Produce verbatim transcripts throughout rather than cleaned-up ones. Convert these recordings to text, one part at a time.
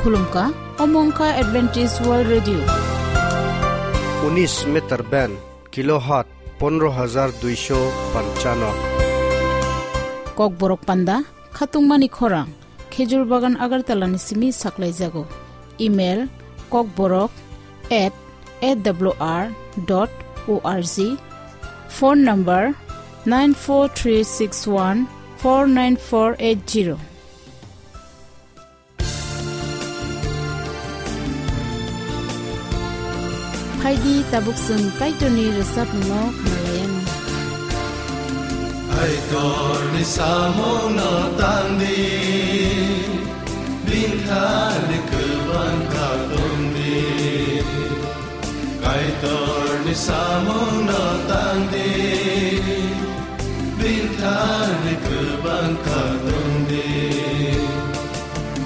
Khulumkha, omo wngkha Adventist World Radio. Unis meter band, kilohertz pondro hajar duisho panchano. Kokborok panda, khatungmani khorang, Khejur Bagan Agartala ni simi saklaijago. Email, kokborok at A W R dot O R G. Phone number, nine four three six one four nine four eight zero. Phaidi tabuk chwng Kaitorni rwchapmungno khwnalaiyani. Kaitorni samungno tangdi, bini thani kwbang kha tongdi. Kaitorni samungno tangdi, bini thani kwbang kha tongdi.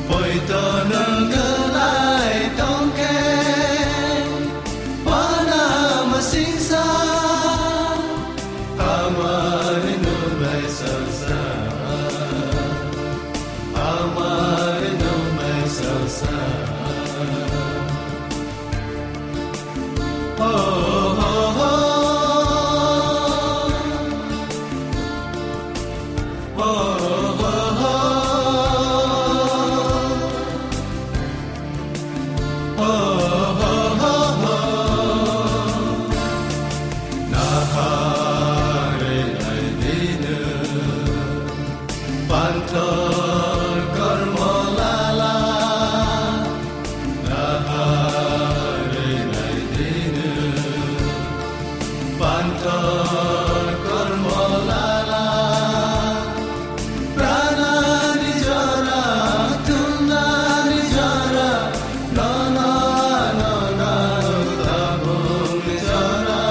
Poito nwng kwlai tongkhe, wana masingsa, hamari nunglai salsa, hamari nunglai salsa. Panthor kormo lala, nahari naidinu. Panthor kormo lala, pranani jora, thumnani jora, nono, nono, tabukni jora.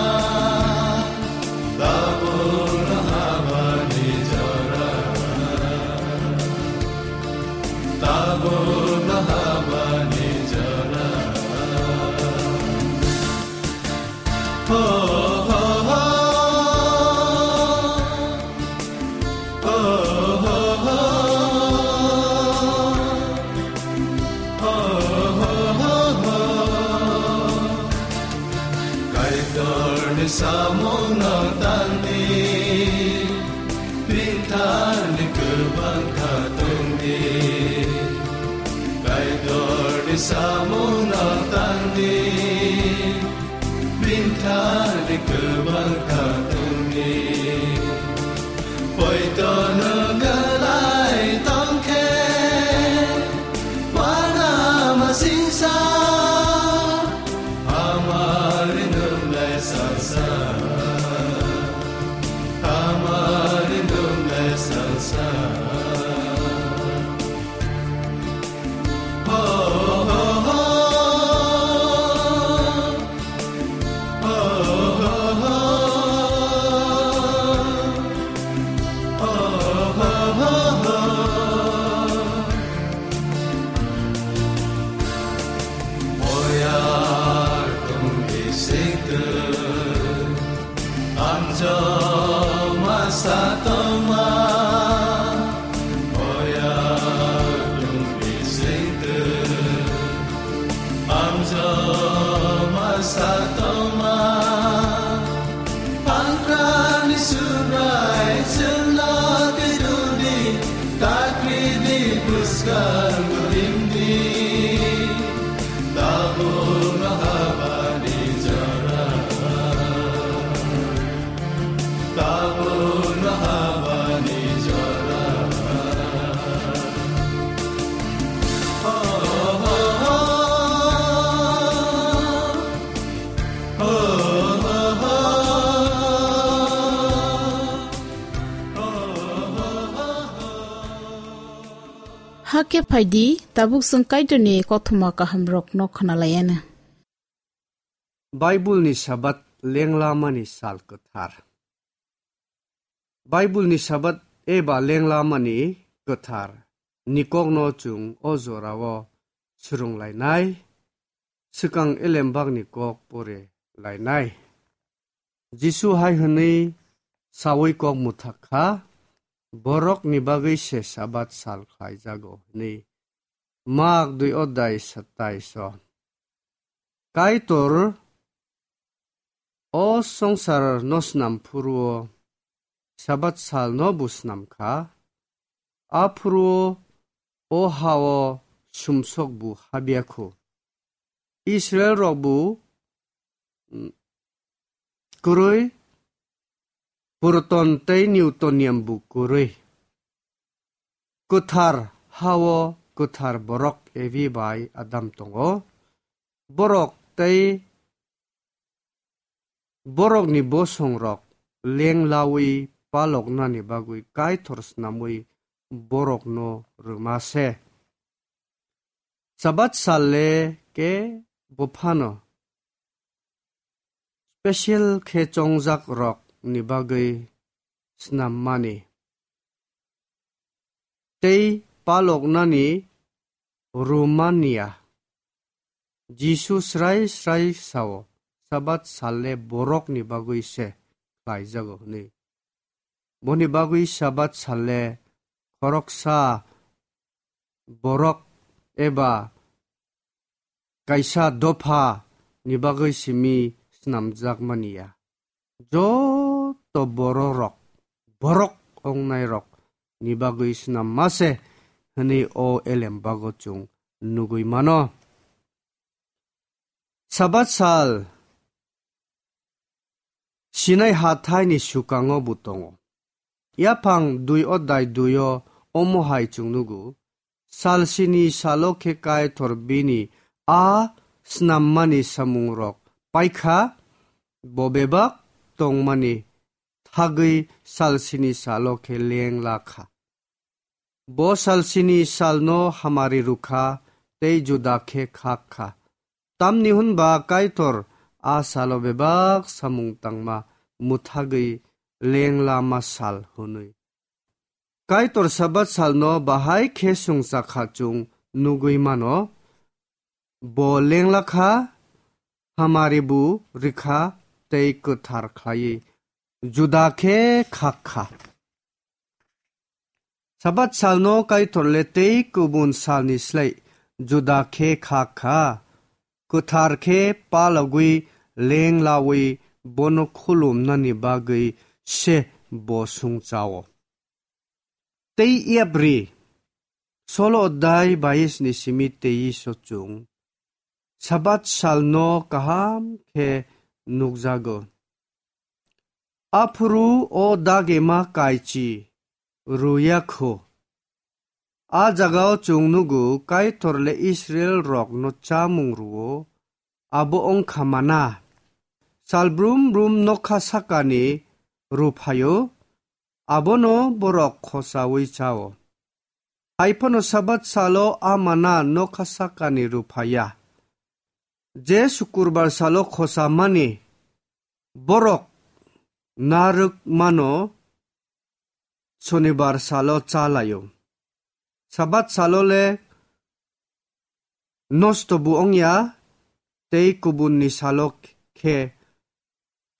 Tabukno habani jora. Tabukno habani jora. Ho, ho, ho. Kaitorni samungno tangdi, bini thani kwbang kha tongdi. Kaitorni samungno tangdi, bini thani kwbang kha tongdi. Poito nwng kwlai tongkhe, wana masingsa, hamari nunglai salsa, hamari nunglai salsa. Ho, ho, ho. Amjoma satoma, oya dungbi singte. Amjoma satoma, pangkrani subrai chwla tiduni, takridi bwskang rimdi, tabukno habani jora. Tabukno habani jora. Ho, ho, ho. Ho, ho, ho. Ho, ho, ho, ho. Hakhe phaidi, tabuk chwng Kaitorni kothoma kahamrokno khwnalaiyana. Baibulni Sabat lenglamani sal kwthar. Baibulni Sabat eba lenglamani kwthar ni kokno chwng o jorao swrwnglainai, swkang elembakni kok pore lainai. Jisu hai hwnwi saui kok mwthak kha, "Borokni bagwi se Sabat sal khlaijago," hwnwi. Mak dui odai satai so. Kaitor o songsar no snam phuru o Sabat sal no bu snam kha. A phuru o o ha o sumsok bu habya khu. Israel rok bu, mm, kwrwi, Proton tei Newtonium bu kwrwi. Kwthar ha o kwthar borok Evi bai Adam tongo. Borok tei borokni bosongrok leng lawi paloknani bagwi Kaitor snamwi borokno rwma se. Sabat sal le ke bo phano special khe chongjak rok ni bagwi snam mani tei paloknani Romania. Jisu srai srai sao, Sabat sal le borok ni bagwi se khlaijago hwnwi. Boni bagwi Sabat sal le khoroksa borok eba kaisa dopha ni bagwi simi snamjak mani ya. Joto bororok, borok ongnairok ni bagwi snam mase hwnwi o elem bago chwng nugwi mano. Sabat sal Sinai hathaini sukango bo tongo. Yaphang dui odai dui o omo hai chwng nugo, sal sini salo khe Kaitor bini a snammani samungrok paikha, bo bebak tongmani thagwi sal sini salo khe leng la kha. Bo sal sini salno hamari rwkha tei juda khe khak kha. Tamni hwn ba Kaitor a salo bebak samung tangma mwthagwi leng lama sal hwnwi. Kaitor Sabat salno bahai khe sungcha kha chwng nugwi mano. Bo leng la kha, hamari bu rwkha tei kwthar khlaiwi juda khe khak kha. Sabat salno Kaitor le tei kubun salni slai juda khe khak kha, kwthar khe palogwi leng lawi bono khulumnani bagwi se bo sungchao. Tei yapri, solo odai bais ni simi tei so chwng Sabat salno kaham khe nukjago. Aphuru o dagema kaichi rwya kho. A jagao chwng nugo Kaitor le Israel rokno chamung rwo, abo wngkha mana. Sal brum brum nokha sakani rwphaio, abono borok khosaui chao. Haiphano Sabat salo a mana nokha sakani rwphaya. Je Sukurbar salo khosamani borok narwk mano Sonibar salo cha laio. Sabat salo le nosto bo wngya, tei kubunni salo khe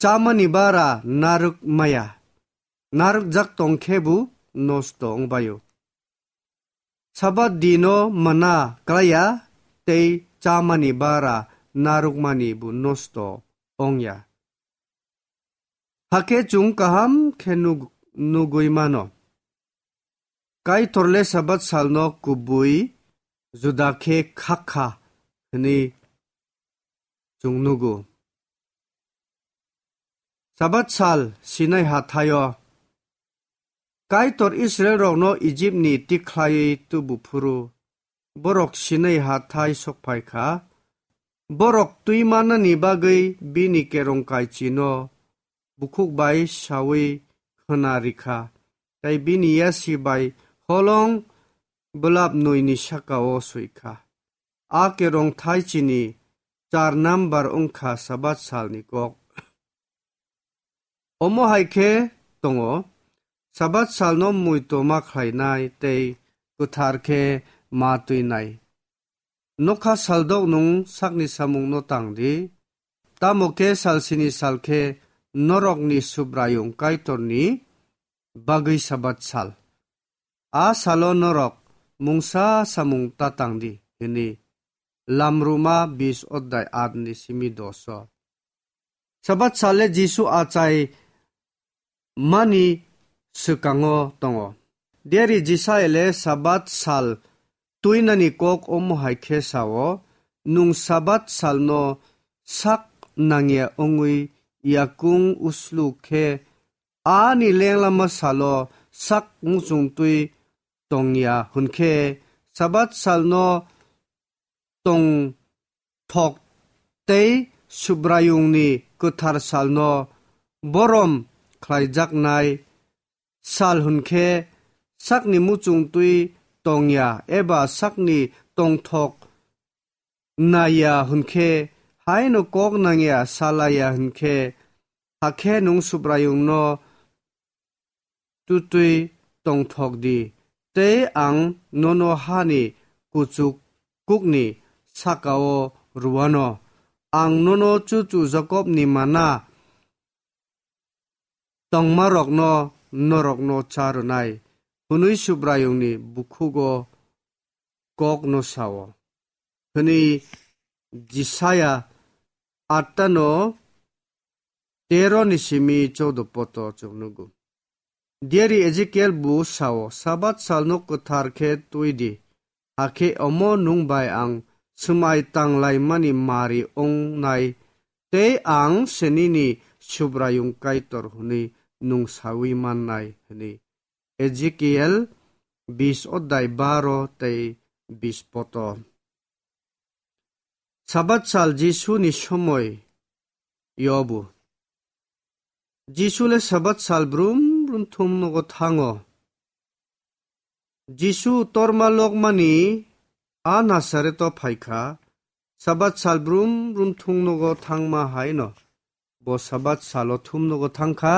chamani bara narwk maya. Narwk jak tong khe bo nosto wngbaio. Sabat dino mana klaiya tei chamani bara narwkmani bo nosto wngya. Hakhe chwng kaham khe nug-, nugwi mano. Kaitor le Sabat salno kubui juda khe khak kha hwnwi chwng nugo. Sabat sal Sinai hathaio Kaitor Israel rokno Ijipni tikhlaiwi tubu phuru, borok Sinai hathai sokphai kha. Borok twi manani bagwi bini kerong kaichino bukhuk bai saui khwna rikha, tei bini yasi bai holong bwlap nwi ni saka-o swi kha. A kerong thai chini char number wngkha Sabat salni kok. Omo hai khe tongo, Sabat salno muitu ma khlainai tei kwthar khe ma twinai. Nokha saldok nwng sakni samungno tang di, tamo khe sal sini sal khe norokni Subraiyung Kaitorni bagwi Sabat sal. A salo norok mungsa samung ta tang di," hwnwi Lamruma bis odai at ni simi doso. Sabat sal le Jisu achai mani swkango tongo. Deri Jisai le Sabat sal tuinani kok omo hai khe sao, "Nwng Sabat salno sak nangya wngwi yakung uslu khe ani lenglama salo sak muchung twi tongya hwn khe Sabat salno tong thok tei Subraiyungni kwthar salno borom khlaijaknai sal hwn khe sakni muchung twi tongya eba sakni tongthok naiya hwn khe haino kok nangya salaiya hwn khe, hakhe nwng Subraiyungno tutwi tongthok di, tei ang nono hani kuchuk kukni saka-o rwano. Ang nono chuchu Jakobni mana tongmarokno norokno cha rwnai," hwnwi Subraiyungni bukhugo kokno sao, hwnwi Jisaya atta no tero ni simi choudo poto chwng nugo. Diari Ezekiel bo sao, "Sabat salno kwthar khe twi di, hakhe omo nwng bai ang swmai tanglaimani mari wngnai, tei ang se nini Subraiyung Kaitor hwnwi nwng saui mannai," hwnwi. Ezekiel bis odai baro tei bis poto. Sabat sal Jisu ni somoi yobu. Jisu le Sabat sal brum brum thum nogo thango. Jisu torma lokmani a Nasareto phaikha, Sabat sal brum brum thum nogo thangma haino bo Sabat salo thum nogo thangkha,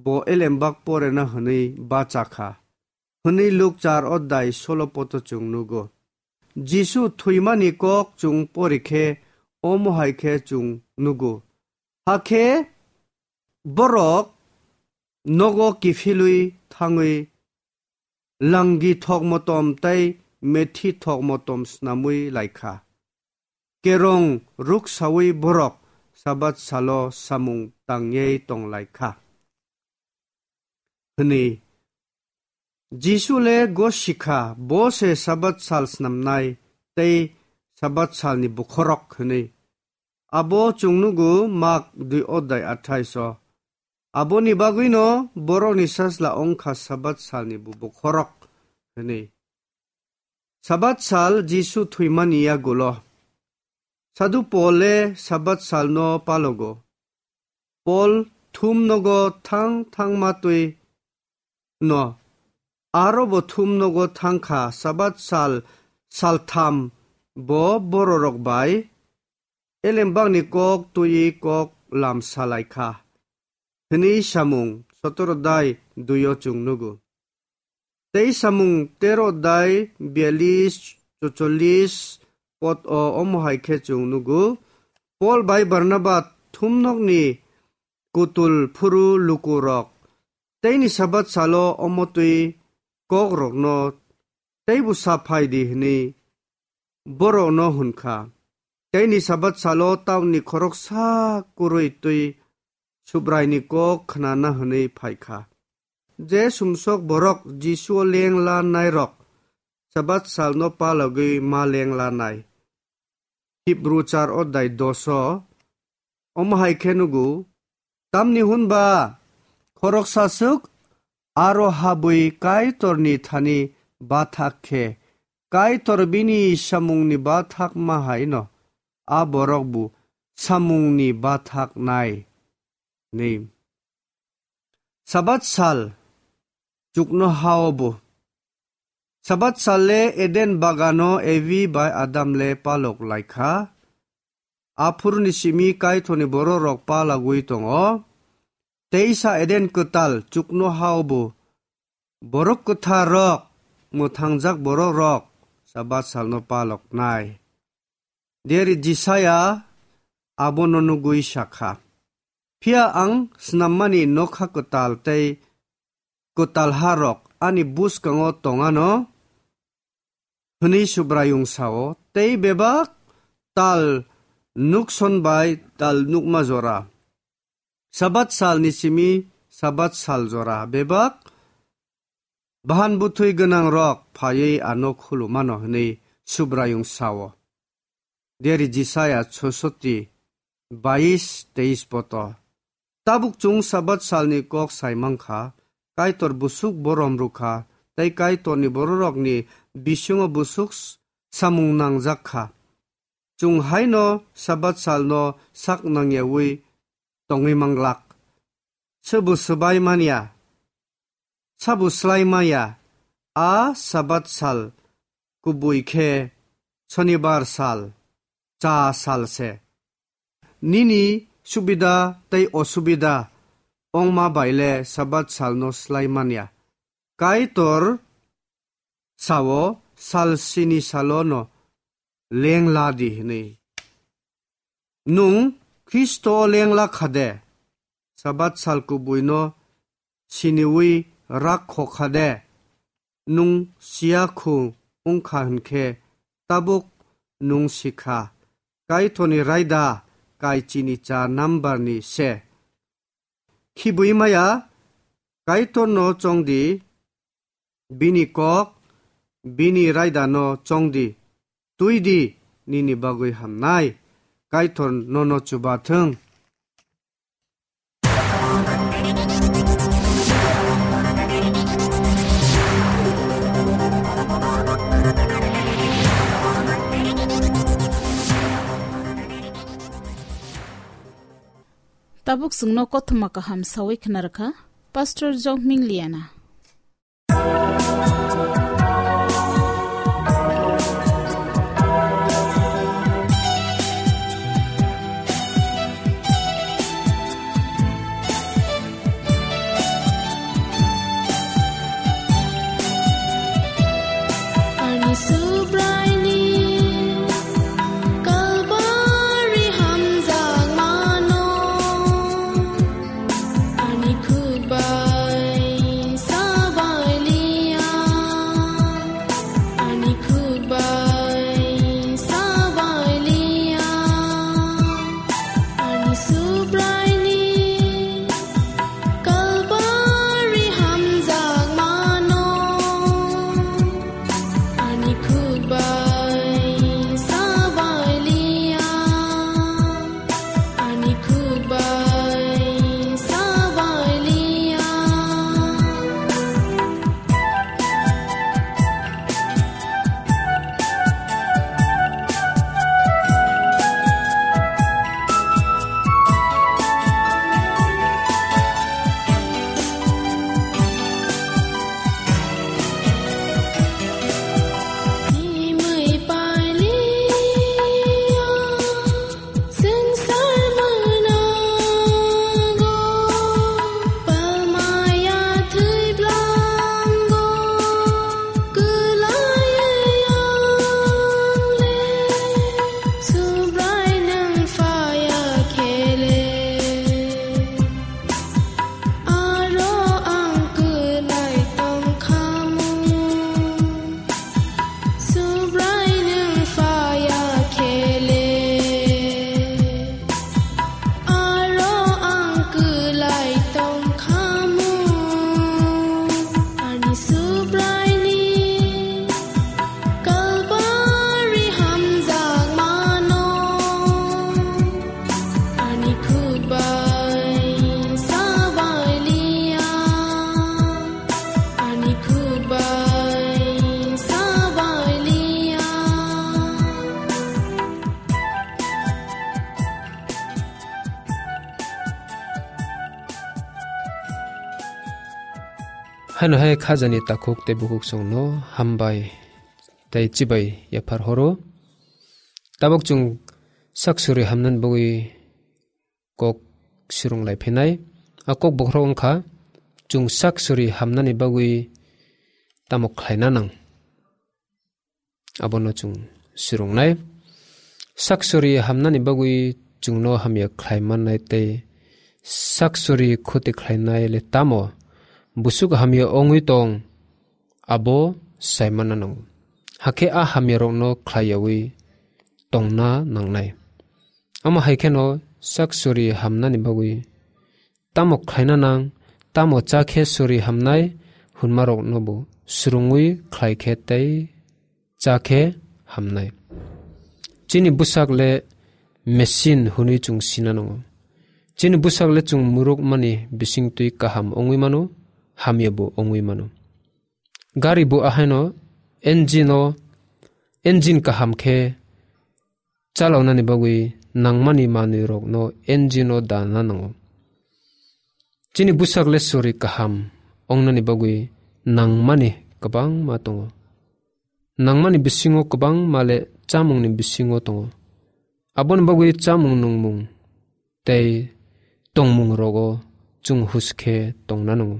bo elembak porena hwnwi bachakha, hwnwi Luk char odai solo poto chwng nugo. Jisu thwimani kok chwng porikhe omo hai khe chwng nugo. Hakhe borok nogo kiphilwi thangwi langi thok motom tei methi thok motom snamwi laikha. Kerong ruksawi borok Sabat salo samung tangwi tonglaikha, hwnwi. Jisu le gosikha, bo se Sabat sal snamnai tei Sabat salni bokhorok hwnwi. Abo chwng nugo Mak dui odai athais o. Aboni bagwino borokni sasla wngkha Sabat salni bo bokhorok hwnwi. Sabat sal Jisu thwimani yagulo. Sadhu Pol le Sabat salno palogo. Pol thum nogo thang thangma twi no. Aro bo thum nogo thangkha, Sabat sal, saltham bo bororok bai elembakni kok twi kok lam salaikha, hwnwi samung sotoro dai duio chwng nugo. Tei samung tero dai bialis, chocholis pot o omo hai khe chwng nugo. Pol bai Barnaba thumnokni kutul phuru lukurok teini Sabat salo omo twi kokrokno teibo sa phai di hwnwi borokno hwn kha. Teini Sabat salo taunni khoroksa kwrwi twi Subraini kok khnana hwnwi phai kha. Je sumsok borok Jisuo leng lanairok Sabat salno palogwi ma leng lanai. Hibru char odai doso omo hai khe nugo, tamni hwn ba khoroksa swk aro habwi Kaitorni thani bathak khe, Kaitor bini samungni bathak ma hai no, a borok bo samungni bathak nai. Ni. Sabat sal chukno hao bo. Sabat sal le Eden bagano Evi bai Adam le palok lai kha. Aphuruni simi Kaitorni bororok palagwi tongo. Teisa Eden kwtal chukno hao bo. Borok kwthar rok, mwthangjak borok rok Sabat salno palok nai. Deri Jisaya abono nugwi sakha, "Phiya ang snammani nokha kwtal tei kwtal ha rok ani bwskango tongano, hwnwi Subraiyung sao, tei bebak tal nukson bai tal nukma jora, Sabat salni simi Sabat sal jora bebak bahan bwthwi gwnangrok phaiwi ano khulumano hwnwi Subraiyung sao. Deri Jisaya chosoti bais teis poto. Tabuk chwng Sabat salni kok sai mankha, Kaitor busuk borom rwkha, tei Kaitorni bororokni bisingo busuk s-, samung nangjak kha. Chwng haino Sabat salno sak nangyawi tongwi manglak. Sobo swbai manya, sabo slai maya, a Sabat sal kubui khe Sonibar sal, cha sal se. Nini subida tei osubida ongma baile Sabat salno slai manya. Kaitor sao, sal sini salono lengla di hwnwi. Nwng Khristo lengla kha de? Sabat sal kubuino siniwi rak kho kha de? Nwng siya khu wng kha hwn khe tabuk nwng si kha. Kaitorni raida kai chini cha nambarni se. Khibui maya, Kaitorno chong di, bini kok, bini raidano chong di, twi di, nini bagwi hamnai. Kaitor nono chuba thung. Tabuk chwngno kothoma kaham sawi khna rwkha Pastor Jokming Liana. Ani Subraiyung Kalbari hamjakmano, ani khuk bai sabai liya, ani khuk bai sabai liya, ani Subraiyung Kalbari hamjakmano, ani khuk bai sabai liya, ani khuk bai sabai liya. Aro ang kwlai tongkhamu, Subraiyung phaiya khele. Aro ang kwlai tongkhamu, ani Subraiyung Kalbari hamjakmano, ani khuk bai sabai liya, ani khuk bai sabai liya. Haino hai khajani takhuk tei bukhuk chwngno hambai tei chibai yaphar horo. Tabuk chwng sak suri hamnani bagwi kok surung lai phinai. A kok bokhorok wngkha chwng sak suri hamnani bagwi tamo khlaina nang. Abono chwng swrwngnai. Sak suri hamnani bagwi chwngno hamya khlai mannai tei sak suri khoti khlainai le tamo busuk hamya wngwi tong, abo sai manna nango. Hakhe a hamyarokno khlaiyawi tongna nangnai. Omo hai kheno sak suri hamnani bagwi tamo khlaina nang, tamo cha khe suri hamnai, hwnmarokno bo swrwngwi khlai khe tei cha khe hamnai. Chini bwsak le machine hwnwi chwng sina nango. Chini bwsak le chwng murukmani bisingtwi kaham wngwi mano, hamya bo wngwi mano. Gari bo ahaino engine o, engine kaham khe chalaunani bagwi nangmani manwirokno engine o dana nango. Chini bwsak le suri kaham wngnani bagwi nangmani kwbangma tongo. Nangmani bisingo kwbangma le chamungni bisingo tongo. Aboni bagwi chamung nungmung tei tongmung rogo chwng hus khe tongna nango.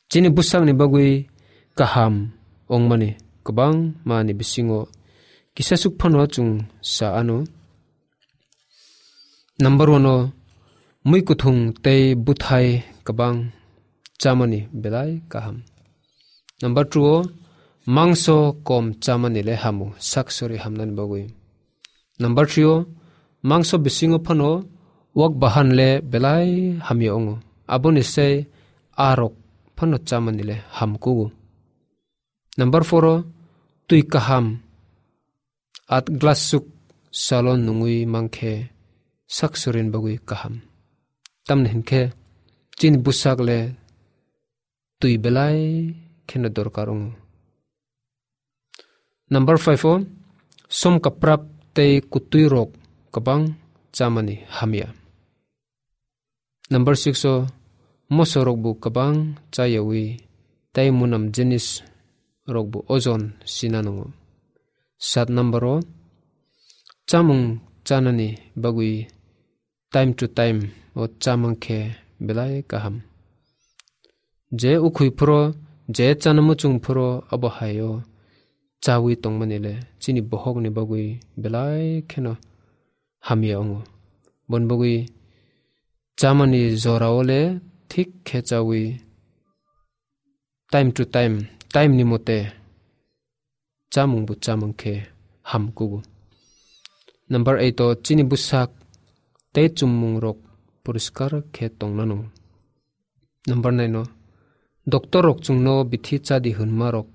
Chini bwsakni bagwi kaham wngmani kwbangma ni bisingo kisasuk phano chwng sa ano. Number one o mui kuthung tei bwthai kwbang chamani belai kaham. Number two o mangso kom chamani le hamu, sak sori hamnani bagwi. Number three o mangso bisingo phano wak bahan le belai hamya wngo. Aboni se arok phano chamani le hamkugo. Number four o twi kaham at glass suk salo nungwi mankhe sak sorin bagwi kaham. Tamni hinkhe chini bwsak le twi belai kheno dorkar wngo. Number five o som kaprap tei kutwi rok kwbang chamani hamya. Number six o moso rok bo kwbang chayawi tei munam jinis rok bo ojon sina nango. Sat number o chamung chanani bagwi time to time o chamang khe belai kaham. Je ukhwi phuro, je chana muchung phuro abo hai o chawi tongmani le chini bohokni bagwi belai kheno hamya wngo. Boni bagwi chamani jora o le thik khe chawi time to time, time ni mote chamung bo chamang khe hamkugo. Number eight o chini bwsak tei chumung rok poriskar khe tongna nango. Number nine o doctor rok chwngno bithi chadi hwnma rok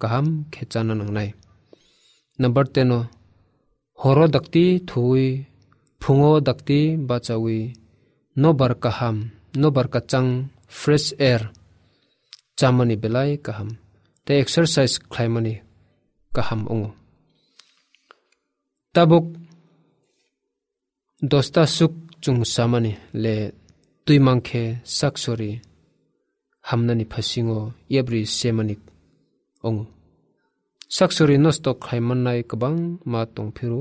kaham khe chana nangnai. Number ten o horo dakti thuwi, phungo dakti bachawi, nobar kaham, nobar kachang, fresh air chamani belai kaham, tei exercise khlaimani kaham wngo. Tabuk dosta suk chwng samani le twi mankhe sak sori hamnani phasingo yabri semani wngo. Sak sori nosto khlai mannai kwbangma tongphiro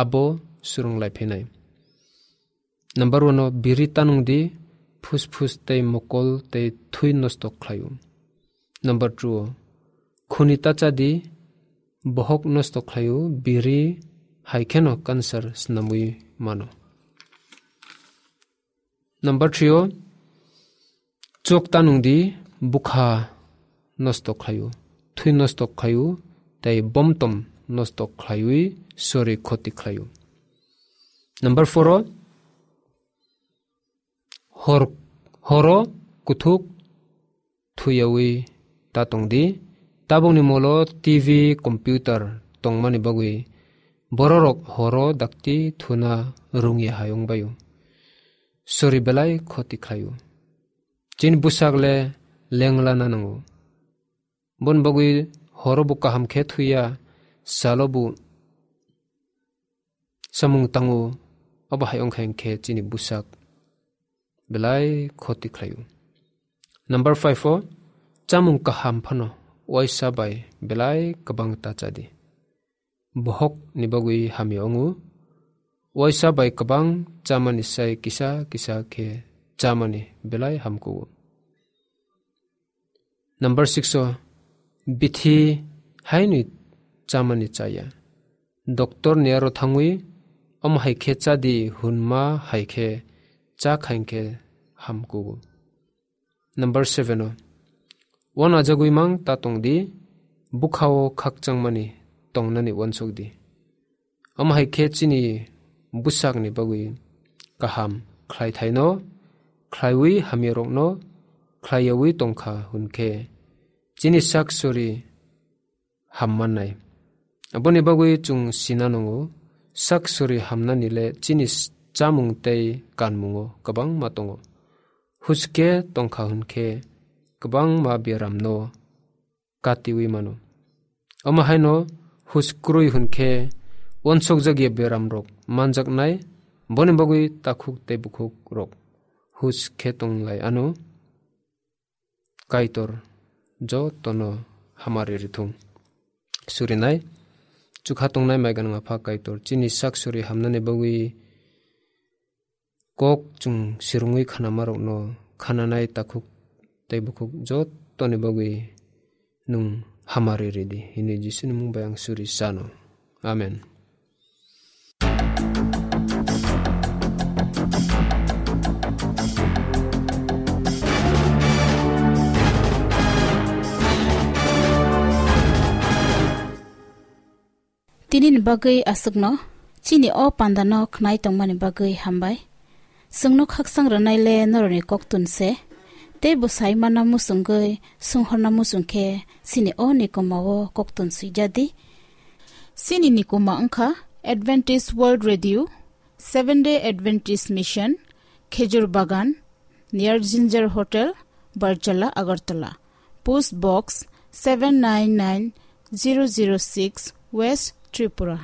abo swrwng lai phinai. Number one o biri tanung di, phusphus tei mokol tei thwi nosto khlaio. Number two o khuni tacha di, bohok nosto khlaio, biri hai kheno cancer snamwi mano. Number three o chok tanung di, bukha nosto khlaio, thwi nosto khlaio, tei bomtom nosto khlaiwi sori khoti khlaio. Number four o hor, horo kuthuk thuyawi ta tong di. Tabukni molo T V, computer tongmani bagwi bororok horo dakti thuna rungya hai wngbaio. Sori belai khoti khlaio. Chini bwsak le lenglana nango. Boni bagwi horo bo kaham khe thuya, salo bo samung tango, abo hai wngkha hinkhe chini bwsak belai khoti khlaio. Number five o chamung kaham phano waisa bai belai kwbang ta chadi. Bohok ni bagwi hamya wngo. Waisa bai kwbang chamani sai kisa kisa khe chamani belai hamkugo. Number six o bithi hainwi chamani chaya. Doctor ni aro thangwi omo hai khe chadi hwnma hai khe cha khain khe hamkugo. Number seven o wanajagwi mang ta tong di, bwkhao khakchangmani tongnani uansuk di. Omo hai khe chini bwsakni bagwi kaham khlaithaino khlaiwi hamyarokno khlaiyawi tongkha hwn khe chini sak sori ham mannai. Aboni bagwi chwng sina nango, sak sori hamnani le chini s-, chamung tei kanmungo kwbangma tongo. Huske tongkha hwn khe kwbangma beramno katiwi mano. Omo haino hus kwrwi hwn khe uansukjakya beramrok manjaknai, boni bagwi takhuk tei bukhukrok hus khe tonglai ano. Kaitor jotono hamari rithung. Surinai chukha tongnai maiganang Apha Kaitor, chini sak sori hamnani bagwi kok chwng sirungwi khanamarokno khananai takhuk tei bukhuk jotoni bagwi nwng hamari ridi, hwnwi Jisuni mung bai ang suri sano. Amen. Tini ni bagwi aswkno, chini o panda no khnai tongmani bagwi hambai. Chwngno khakchang rwnai le norokni koktun se, tei bwsai mana muchungwi sunghorna muchung khe chini o nikoma o koktun swijadi. Chini nikoma wngkha Adventist World Radio, Seventh Day Adventist Mission, Khejur Bagan, near Ginger Hotel, Barjala, Agartala. Post Box seven nine nine zero zero six, West Tripura.